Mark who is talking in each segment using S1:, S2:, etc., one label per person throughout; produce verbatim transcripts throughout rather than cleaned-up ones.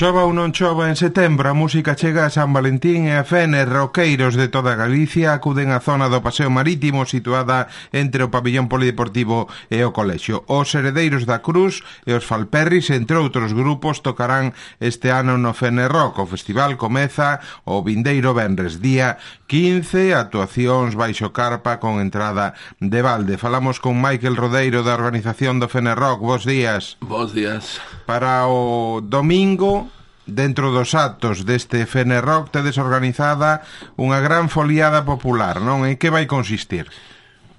S1: Chova ou non chova en setembro, a música chega a San Valentín e a Fene. Roqueiros de toda Galicia acuden á zona do Paseo Marítimo situada entre o pabillón polideportivo e o colexio. Os Heredeiros da Cruz e os Falperris, entre outros grupos, tocarán este ano no Fene Rock. O festival comeza o vindeiro venres, día quince, actuacións baixo carpa con entrada de balde. Falamos con Michael Rodeiro da organización do Fene Rock. Bos días.
S2: Bos días.
S1: Para o domingo, dentro dos actos deste Fene Rock, tedes organizada unha gran foliada popular, non? En que vai consistir?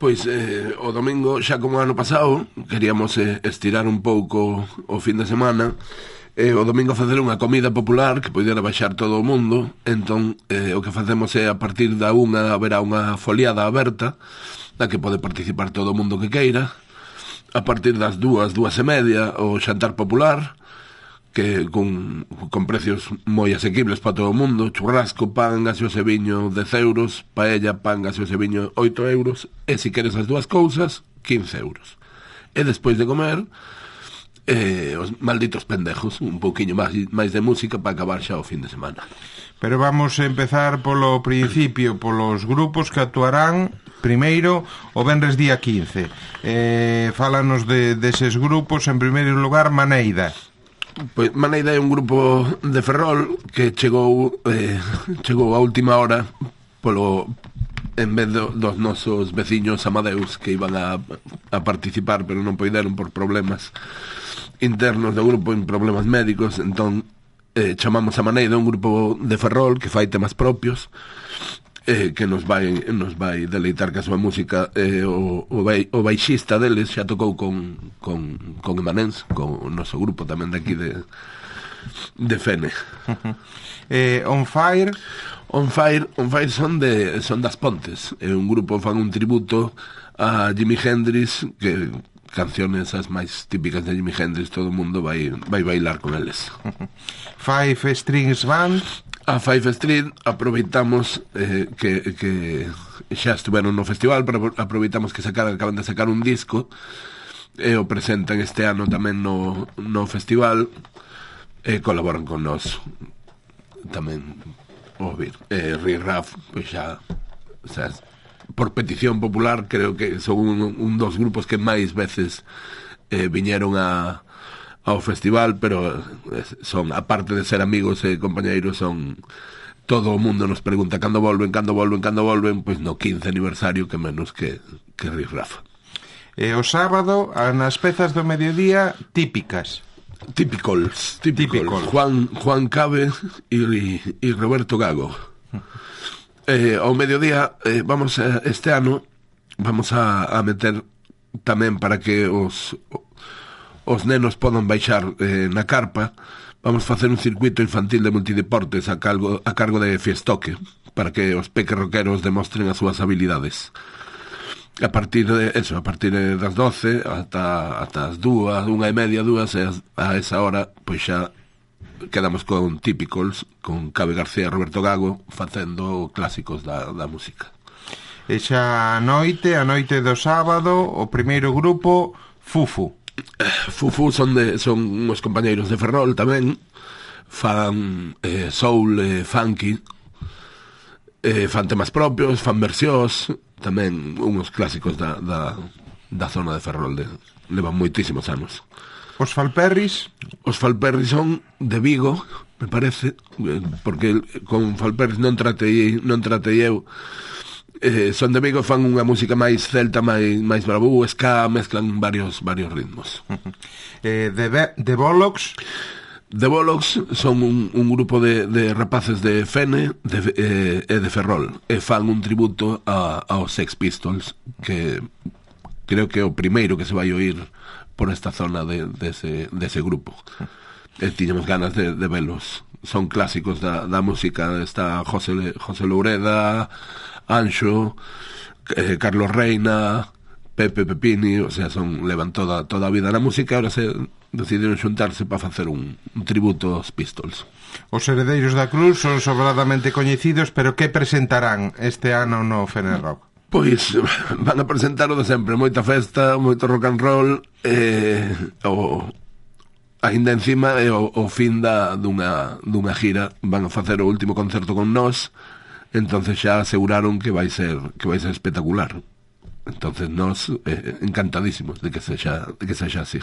S2: Pois eh, o domingo, xa como ano pasado, queríamos eh, estirar un pouco o fin de semana, e o domingo facer unha comida popular que poidera baixar todo o mundo. Entón eh, o que facemos é, a partir da unha haberá unha foliada aberta na que pode participar todo o mundo que queira. A partir das dúas, dúas e media, o xantar popular, que con, con precios moi asequibles para todo o mundo: churrasco, pan, gaseoso e viño dez euros, paella, pan, gaseoso e viño oito euros, e se queres as dúas cousas, quince euros. E despois de comer, eh, os malditos pendejos, un pouquiño máis, máis de música para acabar xa o fin de semana.
S1: Pero vamos a empezar polo principio, polos grupos que actuarán primeiro o venres día quince. Eh, fálanos de deses grupos. En primeiro lugar, Maneida.
S2: Pois Maneida é un grupo de Ferrol que chegou eh, chegou a última hora polo en vez do, dos nosos veciños amadeus que iban a, a participar, pero non poideron por problemas internos do grupo, en problemas médicos. Entón eh, chamamos a Maneida, un grupo de Ferrol que fai temas propios, eh, que nos vai nos vai deleitar ca súa música. eh, o, o, bai, o baixista deles xa tocou con, con, con Emanens, con o noso grupo tamén de aquí de, de Fene.
S1: eh, On Fire
S2: On Fire On Fire son de son das Pontes, é un grupo, fan un tributo a Jimi Hendrix, que canciones as máis típicas de Jimi Hendrix todo o mundo vai, vai bailar con eles.
S1: Five Strings Band.
S2: A Five Street aproveitamos eh, que, que xa estuveron no festival, pero aproveitamos que sacaran, acaban de sacar un disco e o presentan este ano tamén no, no festival, e colaboran con nós tamén. Ouvir eh, Riff Raff, pois xa, o sea, por petición popular, creo que son un, un dos grupos que máis veces eh, viñeron a ao festival, pero son, aparte de ser amigos e compañeiros, son, todo o mundo nos pregunta cando volven, cando volven, cando volven, pois no quince aniversario, que menos que, que Riff Raff.
S1: E o sábado, nas pezas do mediodía típicas.
S2: Típicos, típicos. Juan, Juan Cabe e, e Roberto Gago. Eh, ao mediodía, eh, vamos a, este ano, vamos a, a meter tamén, para que os... os nenos podan baixar eh, na carpa, vamos facer un circuito infantil de multideportes a cargo, a cargo de Fiestoque, para que os peques roqueros demostren as súas habilidades. A partir de eso, a partir das doce ata, ata as dúas, unha e media, dúas, e a esa hora, pois xa quedamos con Típicos, con Cabe García e Roberto Gago, facendo clásicos da, da música.
S1: E xa a noite, a noite do sábado, o primeiro grupo, Fufu.
S2: Fufu son de son uns compañeiros de Ferrol tamén, fan eh, soul e eh, funky, eh, fan temas propios, fan versións, tamén uns clásicos da, da, da zona de Ferrol, de, levan moitísimos anos.
S1: Os Falperris?
S2: Os Falperris son de Vigo, me parece, porque con Falperris non tratei, non tratei eu. Eh, son de Vigo, fan unha música máis celta, máis, máis bravú, ska, mezclan varios varios ritmos.
S1: eh, de, de Bollocks?
S2: De Bollocks son un, un grupo de, de rapaces de Fene de, eh, e de Ferrol, e fan un tributo a, aos Sex Pistols, que creo que é o primeiro que se vai oír por esta zona de, de, ese, de ese grupo. E tiñamos ganas de, de velos. Son clásicos da, da música. Está José, José Loureda, Anxo, eh, Carlos Reina, Pepe Pepini, o sea, son levan toda toda a vida na música. Ahora se decidiron xuntarse para facer un, un tributo aos Pistols.
S1: Os Heredeiros da Cruz son sobradamente coñecidos, pero que presentarán este ano no Fene Rock?
S2: Pois van a presentar o de sempre, moita festa, moito rock and roll, eh, o Ainda encima é o, o fin da, dunha, dunha gira, van a facer o último concerto con nós, entonces xa aseguraron que vai ser que vai ser espectacular. Entonces nós eh, encantadísimos de que sexa de que sexa así.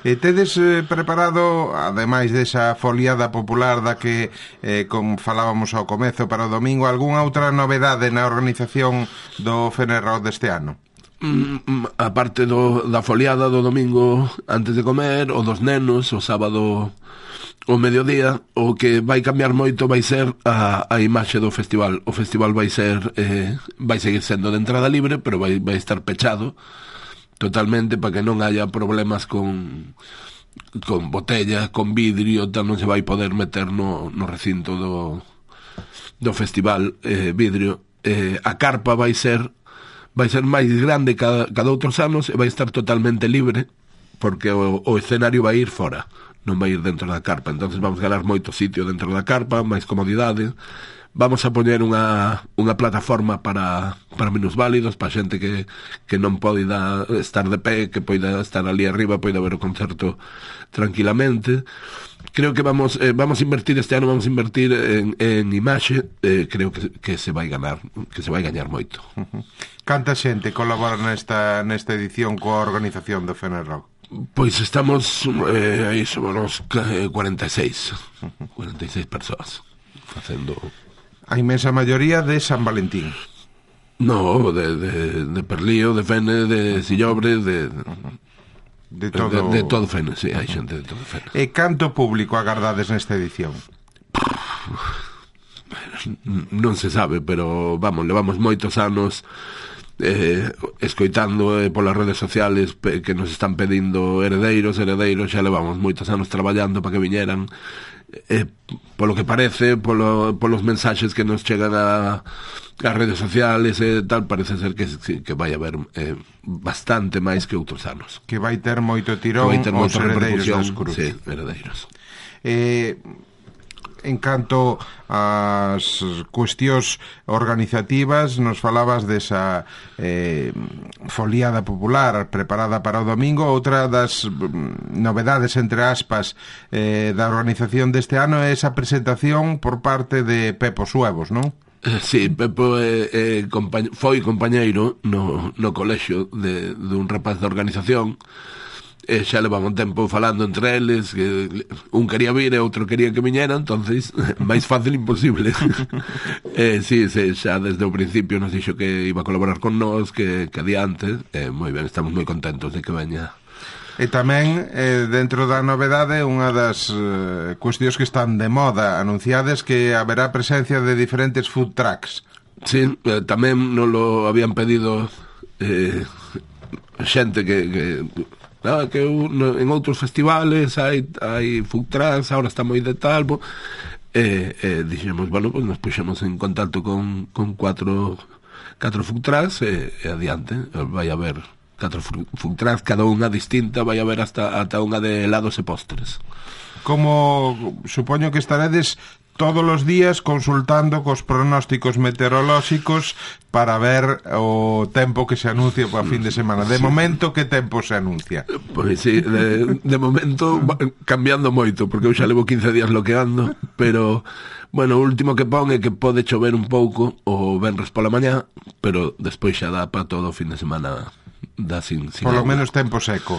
S1: E tedes eh, preparado, ademais desa foliada popular da que eh, como falábamos ao comezo para o domingo, algunha outra novedade na organización do Fenner Rock deste ano?
S2: Mm, a parte do, da foliada do domingo antes de comer, o dos nenos, o sábado o mediodía, o que vai cambiar moito vai ser a, a imaxe do festival. O festival vai ser eh, vai seguir sendo de entrada libre, pero vai, vai estar pechado totalmente para que non haya problemas con con botella, con vidrio, tal, non se vai poder meter no, no recinto do, do festival eh, vidrio. Eh, a carpa vai ser vai ser máis grande cada, cada outros anos e vai estar totalmente libre, porque o, o escenario vai ir fora, non vai ir dentro da carpa. Entonces vamos ganar moito sitio dentro da carpa, máis comodidade. Vamos a poñer unha, unha plataforma para, para minusválidos, para xente que, que non pode estar de pé, que poida estar ali arriba, poida ver o concerto tranquilamente. Creo que vamos eh, vamos a invertir este ano, vamos a invertir en, en imaxe, eh, creo que, que se vai ganar, que se vai gañar moito.
S1: Uh-huh. Canta xente colabora nesta nesta edición coa organización do Fenner Rock?
S2: Pois estamos eh, aí somos cuarenta e seis cuarenta e seis persoas facendo.
S1: A inmensa maioría de San Valentín.
S2: No, de, de, de Perlío, de Fene, de Sillobre, de...
S1: De todo...
S2: De, de todo Fene, sí, hai xente de todo Fene.
S1: E canto público agardades nesta edición?
S2: Non se sabe, pero vamos, levamos moitos anos eh, escoitando eh, polas redes sociales pe, que nos están pedindo heredeiros, heredeiros, xa levamos moitos anos traballando para que viñeran. Eh, polo que parece, polo, polos mensaxes que nos chegan a as redes sociales e eh, tal, parece ser que, que vai haber eh, bastante máis que outros anos,
S1: que vai ter moito tirón os heredeiros das Cruz.
S2: Sí, heredeiros.
S1: Eh, en canto ás cuestións organizativas, nos falabas desa eh, foliada popular preparada para o domingo. Outra das novedades, entre aspas, eh, da organización deste ano é esa presentación por parte de Pepo Suevos, non?
S2: Sí, Pepo eh, eh, compañ- foi compañeiro no, no colexio de, de un rapaz da organización. E xa levamos un tempo falando entre eles, que un quería vir e outro quería que viñera, entonces máis fácil imposible. eh, sí, sí, xa desde o principio nos dixo que iba a colaborar con nós, que, que adiante, eh, moi ben, estamos moi contentos de que veña.
S1: E tamén, eh, dentro da novedade, unha das eh, cuestións que están de moda anunciadas, que haberá presencia de diferentes food trucks.
S2: Sí, eh, tamén nos lo habían pedido eh, xente que... que Ah, que no, en outros festivales hai, hai food trucks, ahora está moi de tal, bo, e, e dixemos, bueno, pues nos puxemos en contacto con, con cuatro, cuatro food trucks e, e adiante, vai haber catro food trucks, cada unha distinta, vai haber hasta, hasta unha de helados e postres.
S1: Como supoño que estaredes todos os días consultando cos pronósticos meteorolóxicos para ver o tempo que se anuncia para fin de semana. De momento, que tempo se anuncia?
S2: Pois sí, de, de momento cambiando moito, porque eu xa levo quince días loqueando, pero bueno, o último que pon é que pode chover un pouco o venres pola mañá, pero despois xa dá para todo o fin de semana. Da sin, sin
S1: por lo
S2: agua.
S1: Menos tempo seco.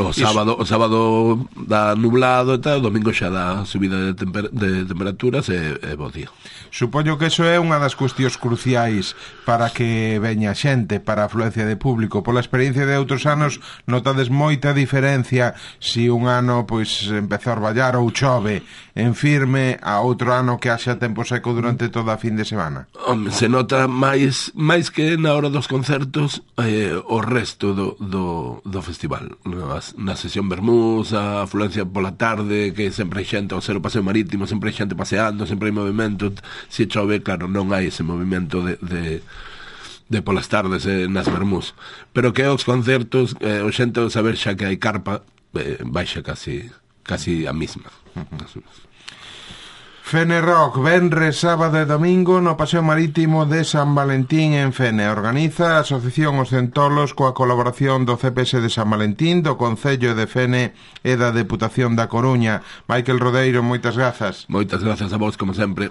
S2: O sábado, o sábado dá nublado e tal, o domingo xa dá subida de, temper, de temperaturas e, e bo día.
S1: Supoño que iso é unha das cuestións cruciais para que veña xente, para a afluencia de público. Pola experiencia de outros anos, notades moita diferencia se un ano pois empeza a orballar ou chove en firme, a outro ano que haxa tempo seco durante toda a fin de semana.
S2: Home, se nota máis máis que na hora dos concertos eh, o resto do, do, do festival. Na sesión Bermús, a afluencia pola tarde, que sempre hai xente ao ser o paseo marítimo, sempre hai xente paseando, sempre hai movimento. Se chove, claro, non hai ese movimento de, de, de polas tardes eh, nas Bermús. Pero que os concertos, eh, o xente ao saber xa que hai carpa, eh, baixa casi, casi a mesma.
S1: Fene Rock, venres, sábado e domingo no Paseo Marítimo de San Valentín en Fene. Organiza a Asociación Os Centolos coa colaboración do C P S de San Valentín, do Concello de Fene e da Deputación da Coruña. Michael Rodeiro, moitas grazas.
S2: Moitas grazas a vos, como sempre.